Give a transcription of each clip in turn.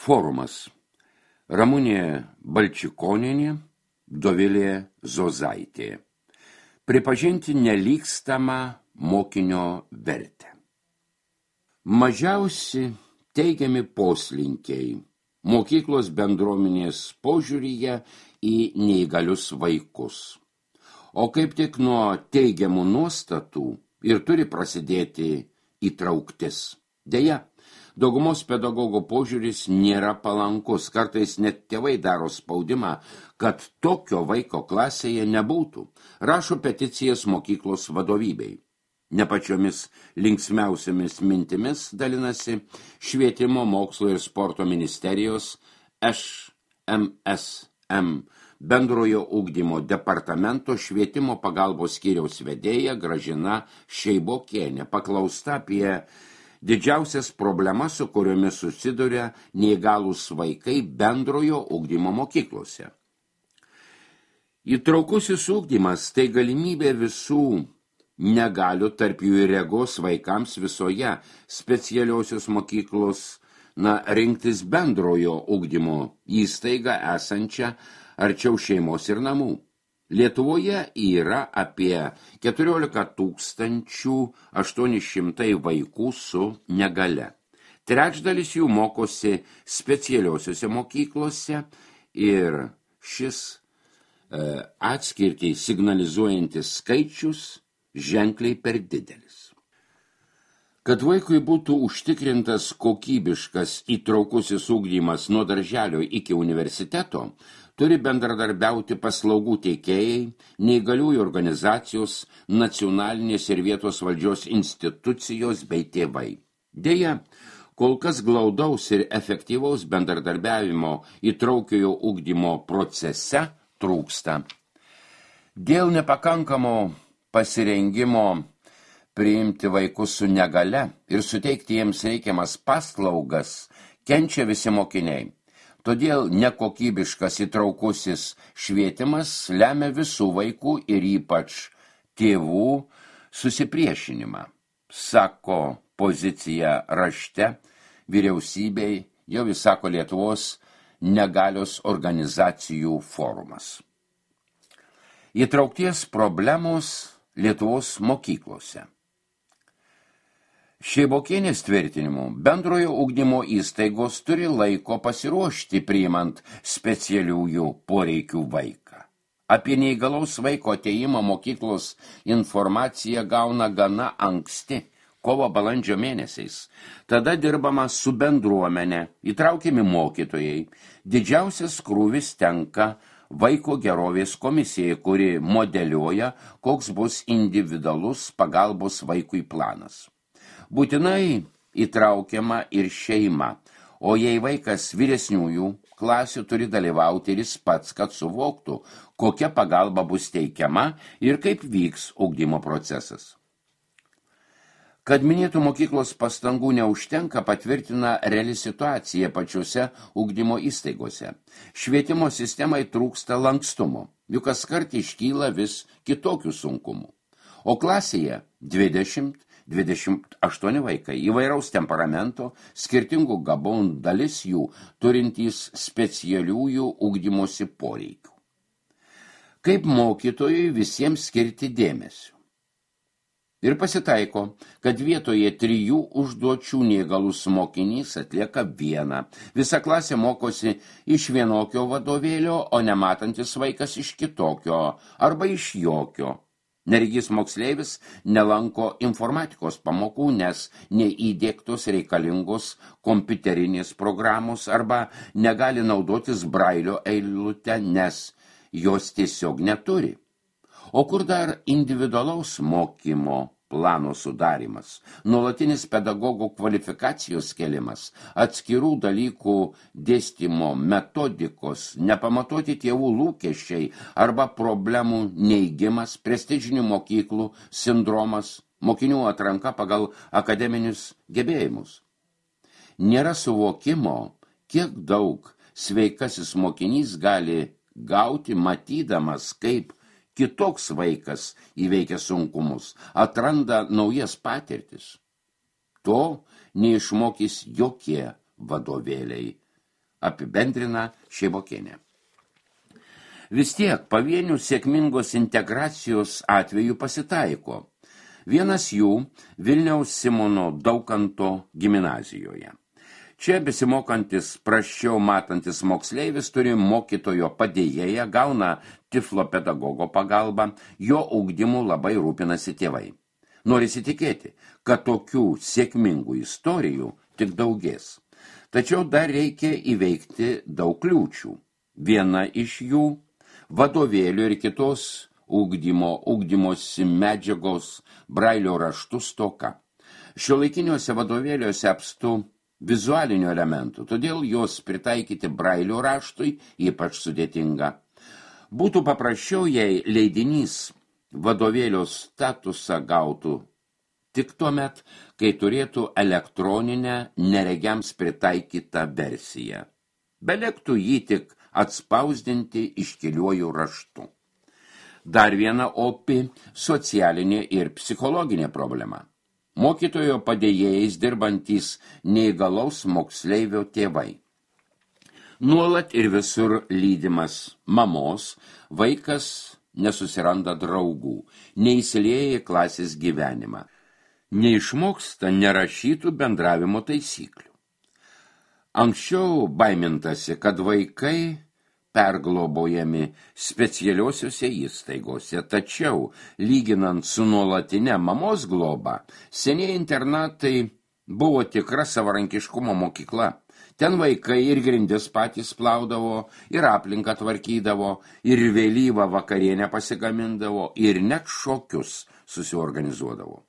Forumas. Ramunė Balčikonienė, Dovilė Zozaitė. Pripažinti nelygstamą mokinio vertę. Mažiausi teigiami poslinkiai mokyklos bendruomenės požiūryje į neįgalius vaikus. O kaip tik nuo teigiamų nuostatų ir turi prasidėti įtrauktis. Deja, daugumos pedagogų požiūris nėra palankus, kartais net tėvai daro spaudimą, kad tokio vaiko klasėje nebūtų. Rašo peticijas mokyklos vadovybei. Ne pačiomis linksmiausiamis mintimis dalinasi Švietimo, mokslo ir sporto ministerijos ŠMSM bendrojo ugdymo departamento švietimo pagalbos skyriaus vedėja Gražina Šeibokienė, paklausta apie didžiausias problemas, su kuriomis susiduria neįgalūs vaikai bendrojo ugdymo mokyklose. Įtraukusis ugdymas tai galimybė visų negalių, tarp jų ir regos vaikams visoje specialiosios mokyklos rinktis bendrojo ugdymo įstaigą esančią arčiau šeimos ir namų. Lietuvoje yra apie 14 800 vaikų su negale. Trečdalis jų mokosi specialiosiuose mokyklose ir šis atskirtį signalizuojantis skaičius ženkliai per didelis. Kad vaikui būtų užtikrintas kokybiškas įtraukusis ugdymas nuo darželio iki universiteto, turi bendradarbiauti paslaugų teikėjai, neįgaliųjų organizacijos, nacionalinės ir vietos valdžios institucijos bei tėvai. Deja, kol kas glaudaus ir efektyvaus bendradarbiavimo įtraukiojo ugdymo procese trūksta. Dėl nepakankamo pasirengimo priimti vaikus su negale ir suteikti jiems reikiamas paslaugas kenčia visi mokiniai. Todėl nekokybiškas įtraukusis švietimas lemia visų vaikų ir ypač tėvų susipriešinimą, sako pozicija rašte vyriausybei, jau įsako Lietuvos negalios organizacijų forumas. Įtraukties problemos Lietuvos mokyklose. Šeibokienės tvirtinimu, bendrojo ugdymo įstaigos turi laiko pasiruošti priimant specialiųjų poreikių vaiką. Apie neįgalaus vaiko atėjimą mokyklos informaciją gauna gana anksti, kovo-balandžio mėnesiais. Tada dirbama su bendruomenė, įtraukiami mokytojai. Didžiausias krūvis tenka Vaiko gerovės komisijai, kuri modeliuoja, koks bus individualus pagalbos vaikui planas. Būtinai įtraukiama ir šeima, o jei vaikas vyresniųjų klasių turi dalyvauti ir jis pats, kad suvoktų, kokia pagalba bus teikiama ir kaip vyks ugdymo procesas. Kad minėtų mokyklos pastangų neužtenka, patvirtina reali situacija pačiose ugdymo įstaigose. Švietimo sistemai trūksta lankstumo, juk kaskart iškyla vis kitokių sunkumų. O klasėje 20-28 vaikai įvairaus temperamento, skirtingų gabonų, dalis jų turintys specialiųjų ugdymosi poreikių. Kaip mokytojui visiems skirti dėmesio? Ir pasitaiko, kad vietoje 3 užduočių neįgalus mokinys atlieka 1. Visa klasė mokosi iš vienokio vadovėlio, o nematantis vaikas iš kitokio arba iš jokio. Neregys moksleivis nelanko informatikos pamokų, nes neįdiegtos reikalingos kompiuterinės programos arba negali naudotis brailio eilute, nes jos tiesiog neturi. O kur dar individualaus mokymo plano sudarimas, nuolatinis pedagogų kvalifikacijos kelimas, atskirų dalykų dėstymo metodikos, nepamatuoti tėvų lūkesčiai arba problemų neigimas, prestižinių mokyklų sindromas, mokinių atranka pagal akademinius gebėjimus. Nėra suvokimo, kiek daug sveikasis mokinys gali gauti, matydamas, kaip kitoks vaikas įveikia sunkumus, atranda naujas patirtis. To neišmokys jokie vadovėliai. apibendrina Šeibokienė. Vis tiek pavienių sėkmingos integracijos atveju pasitaiko. Vienas jų Vilniaus Simono Daukanto gimnazijoje. Čia besimokantis prasčiau matantis moksleivis turi mokytojo padėjėją, gauna tiflo pedagogo pagalbą, jo ugdymu labai rūpinasi tėvai. Norisi tikėti, kad tokių sėkmingų istorijų tik daugės. Tačiau dar reikia įveikti daug kliūčių. Viena iš jų – vadovėlių ir kitos ugdymosi medžiagos brailio raštų stoka. Šiuolaikiniuose vadovėliuose apstu vizualinių elementų, todėl jos pritaikyti brailio raštui ypač sudėtinga. Būtų paprasčiau, jei leidinys vadovėlio statusą gautų tik tuomet, kai turėtų elektroninę neregiams pritaikytą versiją. Belektų jį tik atspausdinti iškiliuoju raštu. Dar viena opi socialinė ir psichologinė problema. Mokytojo padėjėjais dirbantys neįgalaus moksleivio tėvai. Nuolat ir visur lydimas mamos, vaikas nesusiranda draugų, neįsilieja į klasės gyvenimą, neišmoksta nerašytų bendravimo taisyklių. Anksčiau baimintasi, kad vaikai perglobojami specialiosiuose įstaigose, tačiau, lyginant su nuolatinė mamos globa, senieji internatai buvo tikra savarankiškumo mokykla. Ten vaikai ir grindis patys plaudavo, ir aplinką tvarkydavo, ir vėlyvą vakarienę pasigamindavo, ir net šokius susiorganizuodavo.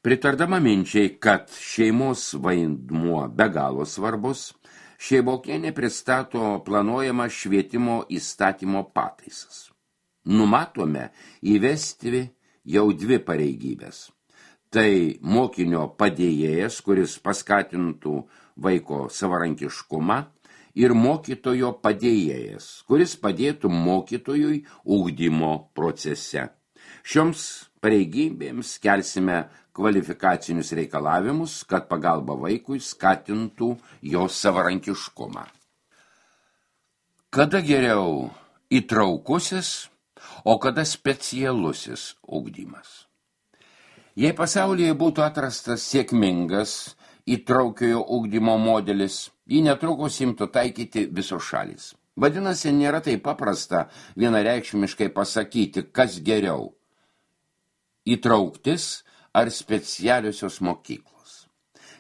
Pritardama minčiai, kad šeimos vaidmuo be galo svarbus, Šeibokienė pristato planuojamą švietimo įstatymo pataisas. Numatome įvesti jau 2 pareigybės. Tai mokinio padėjėjas, kuris paskatintų vaiko savarankiškumą, ir mokytojo padėjėjas, kuris padėtų mokytojui ugdymo procese. Šioms pareigybėms kelsime kvalifikacinius reikalavimus, kad pagalba vaikui skatintų jo savarankiškumą. Kada geriau įtraukusis, o kada specialusis ugdymas? Jei pasaulyje būtų atrastas sėkmingas įtraukiojo ugdymo modelis, jį netrukus imtų taikyti visos šalys. Vadinasi, nėra taip paprasta vienareikšmiškai pasakyti, kas geriau – įtrauktis ar specialiosios mokyklos.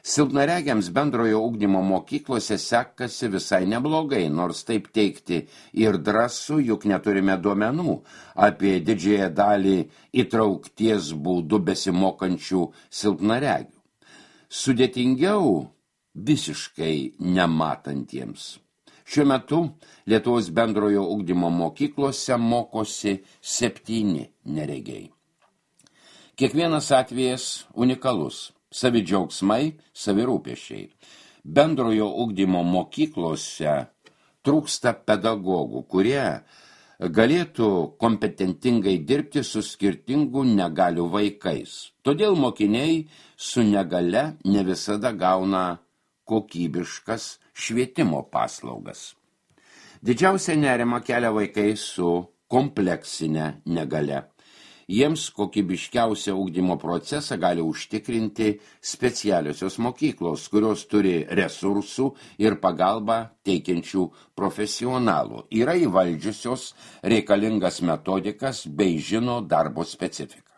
Silpnaregiams bendrojo ugdymo mokyklose sekasi visai neblogai, nors taip teikti ir drąsu, juk neturime duomenų apie didžiąją dalį įtraukties būdų besimokančių silpnaregių. Sudėtingiau visiškai nematantiems. Šiuo metu Lietuvos bendrojo ugdymo mokyklose mokosi 7 neregiai. Kiekvienas atvejas unikalus, savi džiaugsmai, savi rūpesčiai. Bendrojo ugdymo mokyklose trūksta pedagogų, kurie galėtų kompetentingai dirbti su skirtingų negalių vaikais. Todėl mokiniai su negale ne visada gauna kokybiškas švietimo paslaugas. Didžiausia nerima kelia vaikai su kompleksinė negale. Jiems kokybiškiausią ugdymo procesą gali užtikrinti specialiosios mokyklos, kurios turi resursų ir pagalbą teikiančių profesionalų. Yra įvaldžiusios reikalingas metodikas bei žino darbo specifiką.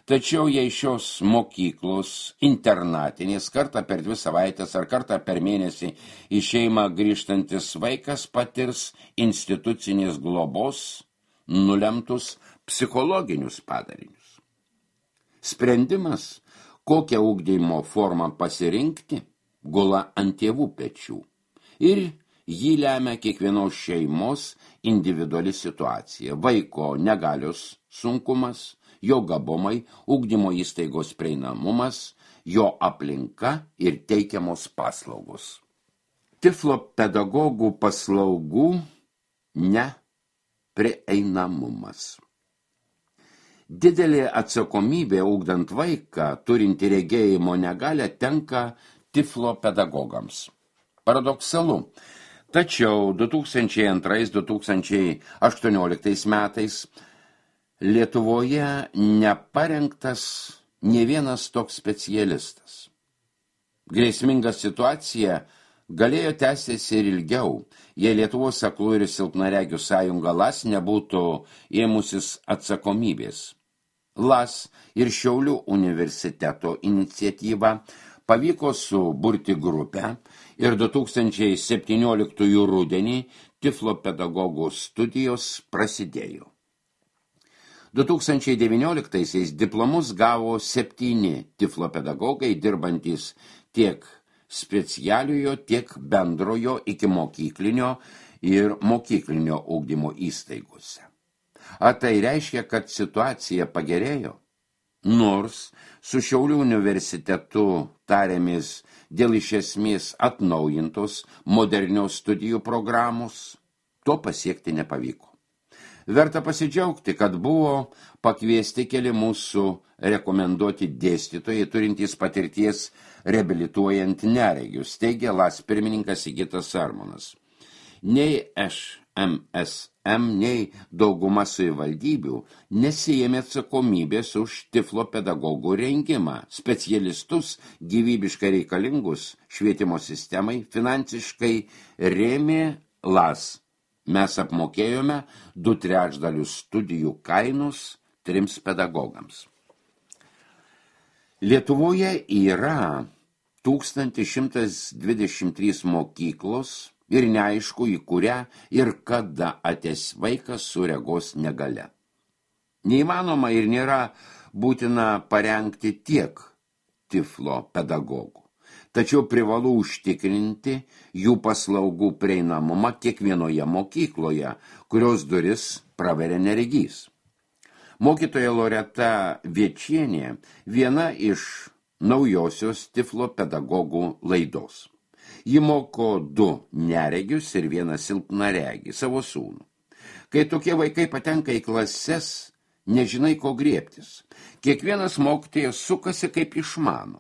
Tačiau jei šios mokyklos internatinės kartą per 2 savaitės ar kartą per mėnesį į šeimą grįžtantis vaikas patirs institucinės globos nulemtus psichologinius padarinius. Sprendimas, kokią ugdymo formą pasirinkti, gula ant tėvų pečių ir jį lemia kiekvienos šeimos individuali situacija, vaiko negalios sunkumas, jo gabumai, ugdymo įstaigos prieinamumas, jo aplinka ir teikiamos paslaugos. Tiflo pedagogų paslaugų neprieinamumas. Didelė atsakomybė ugdant vaiką, turinti regėjimo negalią, tenka tiflo pedagogams. Paradoksalu. Tačiau 2002-2018 metais Lietuvoje neparengtas nė vienas toks specialistas. Grėsminga situacija galėjo tęstis ir ilgiau, jei Lietuvos aklųjų ir silpnaregių sąjunga LAS nebūtų ėmusis atsakomybės. LAS ir Šiaulių universiteto iniciatyva pavyko suburti grupę ir 2017 rudenį Tiflo pedagogų studijos prasidėjo. 2019 diplomus gavo 7 Tiflo pedagogai dirbantys tiek specialiojo, tiek bendrojo ikimokyklinio ir mokyklinio ugdymo įstaigose. Ar tai reiškia, kad situacija pagerėjo? Nors su Šiaulių universitetu tarėmės dėl iš esmės atnaujintos modernios studijų programos, to pasiekti nepavyko. Verta pasidžiaugti, kad buvo pakviesti keli mūsų rekomenduoti dėstytojai turintys patirties reabilituojant neregius, teigia LAS pirmininkas Sigitas Sarmonas. Nei ŠMSM, nei dauguma savivaldybių nesiėmė atsakomybės už Tiflo pedagogų rengimą, specialistus gyvybiškai reikalingus švietimo sistemai finansiškai rėmė LAS. Mes apmokėjome 2/3 studijų kainos 3 pedagogams. Lietuvoje yra 1123 mokyklos ir neaišku, į kurią ir kada ateis vaikas su regos negalia. Neįmanoma ir nėra būtina parengti tiek Tiflo pedagogų. Tačiau privalu užtikrinti jų paslaugų prieinamumą kiekvienoje mokykloje, kurios duris praveria neregys. Mokytoja Loreta Viečienė viena iš naujosios Tiflo pedagogų laidos. Ji moko 2 neregius ir 1 silpnaregį, savo sūnų. Kai tokie vaikai patenka į klases, nežinai, ko griebtis. Kiekvienas mokytojas sukasi kaip išmano.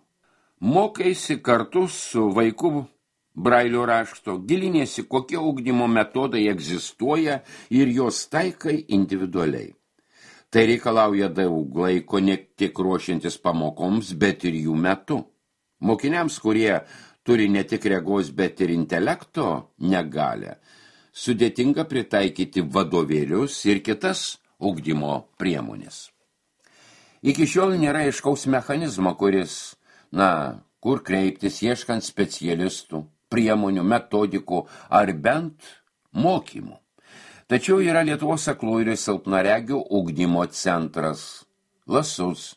Mokaisi kartu su vaiku brailio rašto, gilinėsi, kokie ugdymo metodai egzistuoja ir jos taikai individualiai. Tai reikalauja daug laiko ne tik ruošiantis pamokoms, bet ir jų metu. Mokiniams, kurie turi ne tik regos, bet ir intelekto negalę, sudėtinga pritaikyti vadovėlius ir kitas ugdymo priemonės. Iki šiol nėra aiškaus mechanizmo, kuris kur kreiptis ieškant specialistų, priemonių, metodikų ar bent mokymų. Tačiau yra Lietuvos aklųjų ir silpnaregių ugdymo centras LASUS,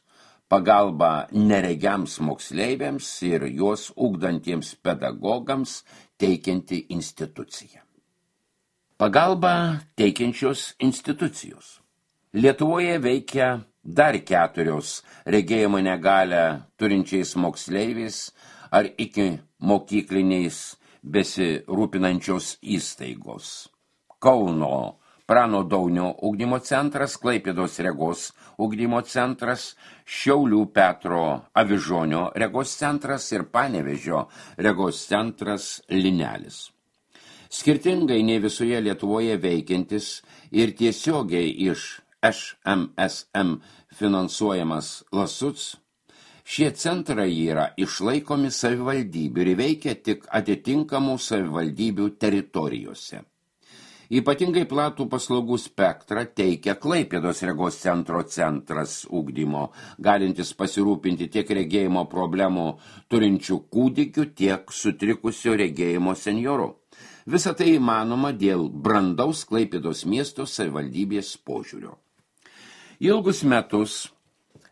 pagalba neregiams moksleiviams ir juos ugdantiems pedagogams teikianti institucija. Pagalba teikiančios institucijos. Lietuvoje veikia dar 4 regėjimo negalią turinčiais moksleiviais ar iki mokykliniais besirūpinančios įstaigos. Kauno Prano Daunio ugdymo centras, Klaipėdos regos ugdymo centras, Šiaulių Petro Avižonio regos centras ir Panevėžio regos centras Linelis. Skirtingai nei visoje Lietuvoje veikiantis ir tiesiogiai iš ŠMSM finansuojamas LASUS, šie centrai yra išlaikomi savivaldybių ir veikia tik atitinkamų savivaldybių teritorijose. Ypatingai platų paslaugų spektrą teikia Klaipėdos regos centras ugdymo, galintis pasirūpinti tiek regėjimo problemų turinčių kūdikių, tiek sutrikusio regėjimo senjorų. Visa tai įmanoma dėl brandaus Klaipėdos miesto savivaldybės požiūrio. Ilgus metus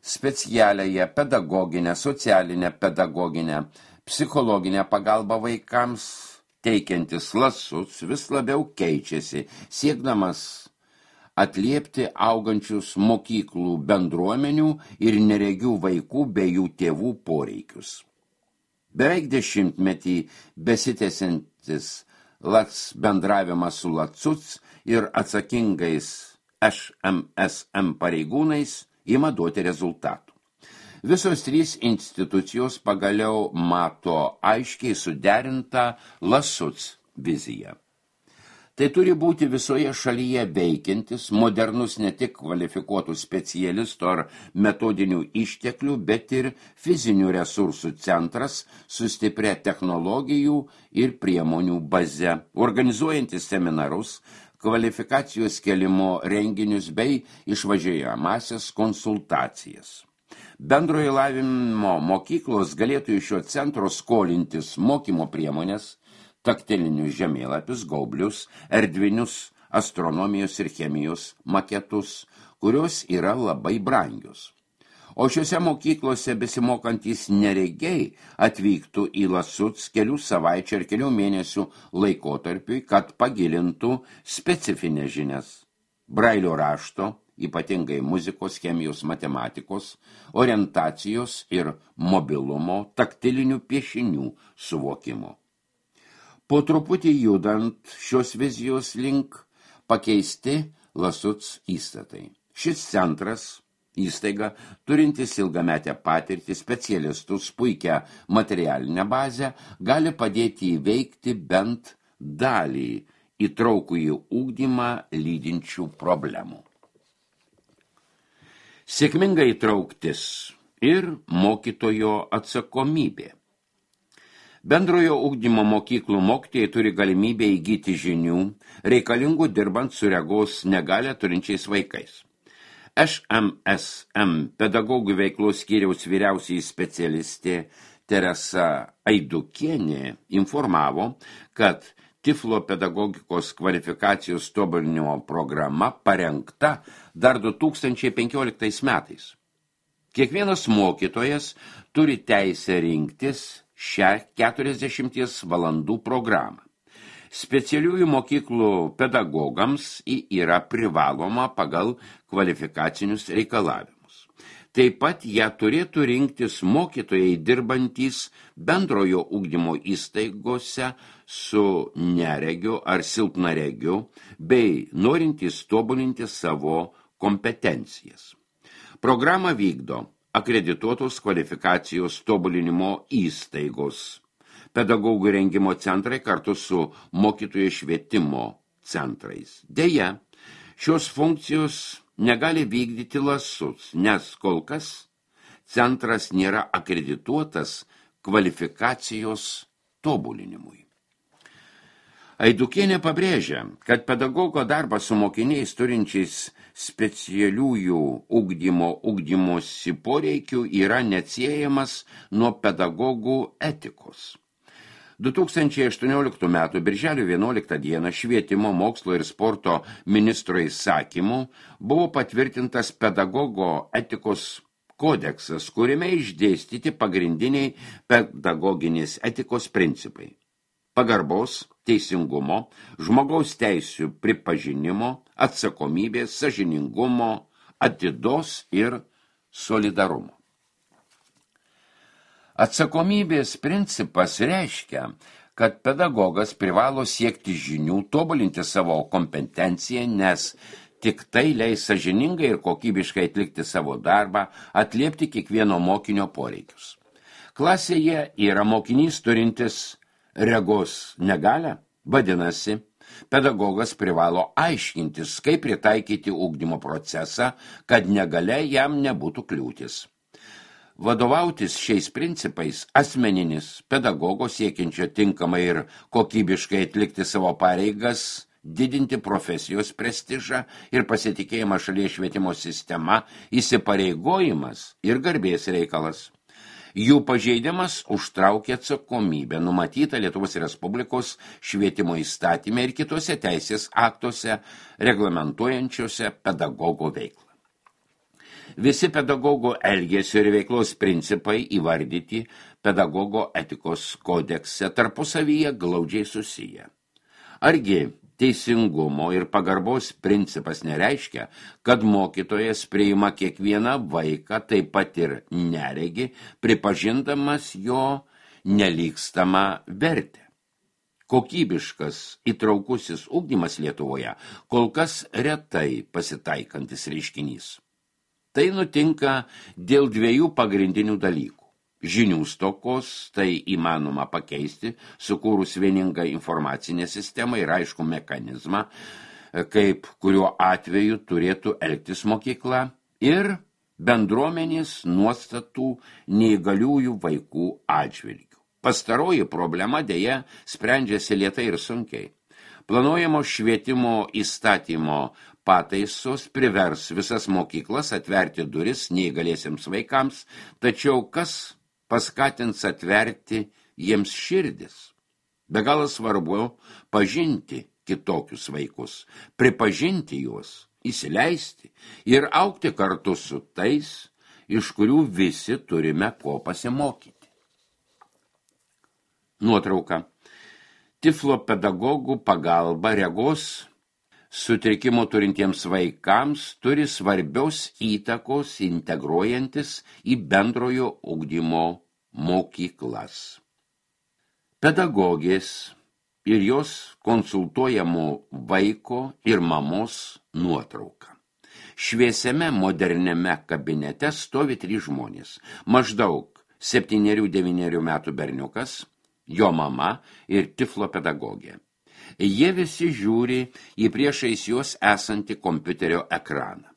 specialiąją pedagoginę, socialinę pedagoginę, psichologinę pagalbą vaikams teikiantis LASUS vis labiau keičiasi, siekdamas atliepti augančius mokyklų bendruomenių ir neregių vaikų bei jų tėvų poreikius. Beveik 10-metį besitęsiantis LAS bendravimas su LASUS ir atsakingais ŠMSM pareigūnais ima duoti rezultatų. Visos trys institucijos pagaliau mato aiškiai suderintą LASUC viziją. Tai turi būti visoje šalyje veikiantis, modernus ne tik kvalifikuotų specialistų ar metodinių išteklių, bet ir fizinių resursų centras su stipria technologijų ir priemonių baze, organizuojantis seminarus, kvalifikacijos kelimo renginius bei išvažiuojamąsias konsultacijas. Bendrojo lavinimo mokyklos galėtų iš šio centro skolintis mokymo priemonės, taktilinius žemėlapius, gaublius, erdvinius astronomijos ir chemijos maketus, kurios yra labai brangios. O šiuose mokyklose besimokantys neregiai atvyktų į LASUC kelių savaičių ir kelių mėnesių laikotarpiui, kad pagilintų specifinės žinias. Brailio rašto, ypatingai muzikos, chemijos, matematikos, orientacijos ir mobilumo, taktilinių piešinių suvokimo. Po truputį judant šios vizijos link pakeisti LASUC įstatai. Šis centras, įstaiga, turintis ilgametę patirtį, specialistus, puikią materialinę bazę, gali padėti įveikti bent dalį įtraukųjį ugdymą lydinčių problemų. Sėkminga įtrauktis ir mokytojo atsakomybė. Bendrojo ugdymo mokyklų mokytojai turi galimybę įgyti žinių, reikalingų dirbant su regos negalią turinčiais vaikais. ŠMSM pedagogų veiklos skyriaus vyriausiai specialistė Teresa Aidukienė informavo, kad Tiflo pedagogikos kvalifikacijos tobulinimo programa parengta dar 2015 metais. Kiekvienas mokytojas turi teisę rinktis šią 40 valandų programą. Specialiųjų mokyklų pedagogams yra privaloma pagal kvalifikacinius reikalavimus. Taip pat ją turėtų rinktis mokytojai dirbantys bendrojo ugdymo įstaigose su neregiu ar silpnaregiu bei norintys tobulinti savo kompetencijas. Programą vykdo akredituotos kvalifikacijos tobulinimo įstaigos, pedagogų rengimo centrai kartu su mokytojų švietimo centrais. Deja, šios funkcijos negali vykdyti LASUC, nes kol kas centras nėra akredituotas kvalifikacijos tobulinimui. Aidukienė pabrėžia, kad pedagogo darbas su mokiniais turinčiais specialiųjų ugdymosi poreikių yra neatsiejamas nuo pedagogų etikos. 2018 m. birželio 11 d. Švietimo, mokslo ir sporto ministro įsakymu buvo patvirtintas pedagogo etikos kodeksas, kuriame išdėstyti pagrindiniai pedagoginės etikos principai. Pagarbos, teisingumo, žmogaus teisių pripažinimo, atsakomybės, sąžiningumo, atidos ir solidarumo. Atsakomybės principas reiškia, kad pedagogas privalo siekti žinių, tobulinti savo kompetenciją, nes tik tai leis sąžiningai ir kokybiškai atlikti savo darbą, atliepti kiekvieno mokinio poreikius. Klasėje yra mokinys turintis regos negalią, vadinasi, pedagogas privalo aiškintis, kaip pritaikyti ugdymo procesą, kad negalia jam nebūtų kliūtis. Vadovautis šiais principais asmeninis pedagogo siekiančio tinkamai ir kokybiškai atlikti savo pareigas, didinti profesijos prestižą ir pasitikėjimą šalies švietimo sistema, įsipareigojimas ir garbės reikalas. Jų pažeidimas užtraukia atsakomybę numatytą Lietuvos Respublikos švietimo įstatyme ir kitose teisės aktuose reglamentuojančiose pedagogo veiklą. Visi pedagogo elgesio ir veiklos principai įvardyti pedagogo etikos kodekse tarpusavyje glaudžiai susiję. Argi teisingumo ir pagarbos principas nereiškia, kad mokytojas priima kiekvieną vaiką, taip pat ir neregį, pripažindamas jo nelygstamą vertę. Kokybiškas įtraukusis ugdymas Lietuvoje kol kas retai pasitaikantis reiškinys. Tai nutinka dėl dviejų pagrindinių dalykų. Žinių stokos, tai įmanoma pakeisti, sukūrus vieningą informacinę sistemą ir aišku mechanizmą, kaip kuriuo atveju turėtų elgtis mokykla, ir bendruomenės nuostatų neįgaliųjų vaikų atžvilgių. Pastaroji problema deja sprendžiasi lėtai ir sunkiai. Planuojamo švietimo įstatymo pataisos privers visas mokyklas atverti duris neįgaliesiems vaikams, tačiau kas paskatins atverti jiems širdis? Be galo svarbu pažinti kitokius vaikus, pripažinti juos, įsileisti ir augti kartu su tais, iš kurių visi turime ko pasimokyti. Nuotrauka. Tiflo pedagogų pagalba regos sutrikimų turintiems vaikams turi svarbios įtakos integruojantis į bendrojo ugdymo mokyklas. Pedagogės ir jos konsultuojamo vaiko ir mamos nuotrauka. Šviesiame moderniame kabinete stovi 3 žmonės. Maždaug 7-9 metų berniukas, jo mama ir tiflo pedagogė. Jie visi žiūri į priešais juos esantį kompiuterio ekraną.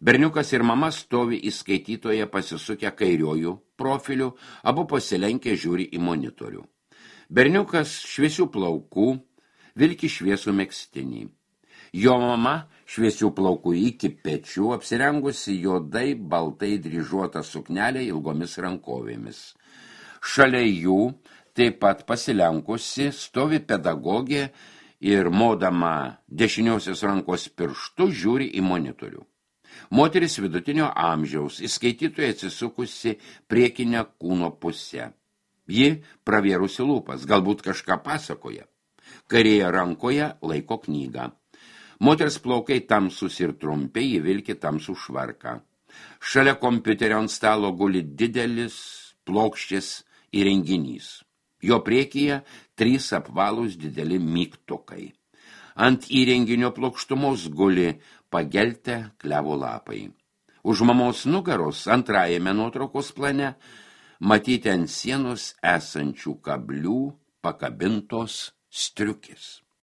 Berniukas ir mama stovi įskaitytoje pasisukę kairiojų profilių, abu pasilenkę žiūri į monitorių. Berniukas šviesių plaukų, vilki šviesų megztinį. Jo mama šviesių plaukų iki pečių, apsirengusi juodai baltai dryžuotą suknelę ilgomis rankovėmis. Šalia jų taip pat pasilenkusi stovi pedagogė ir modama dešiniosios rankos pirštu žiūri į monitorių. Moteris vidutinio amžiaus, įskaitytoje atsisukusi priekinę kūno pusę. Ji pravėrusi lūpas, galbūt kažką pasakoja. Kairėje rankoje laiko knygą. Moters plaukai tamsus ir trumpi, ji vilki tamsų švarką. Šalia kompiuterio ant stalo guli didelis plokščias įrenginys. Jo priekyje 3 apvalūs dideli mygtukai. Ant įrenginio plokštumos guli pageltę klevo lapai. Už mamos nugaros antrajame nuotraukos plane matyti ant sienos esančių kablių pakabintos striukės.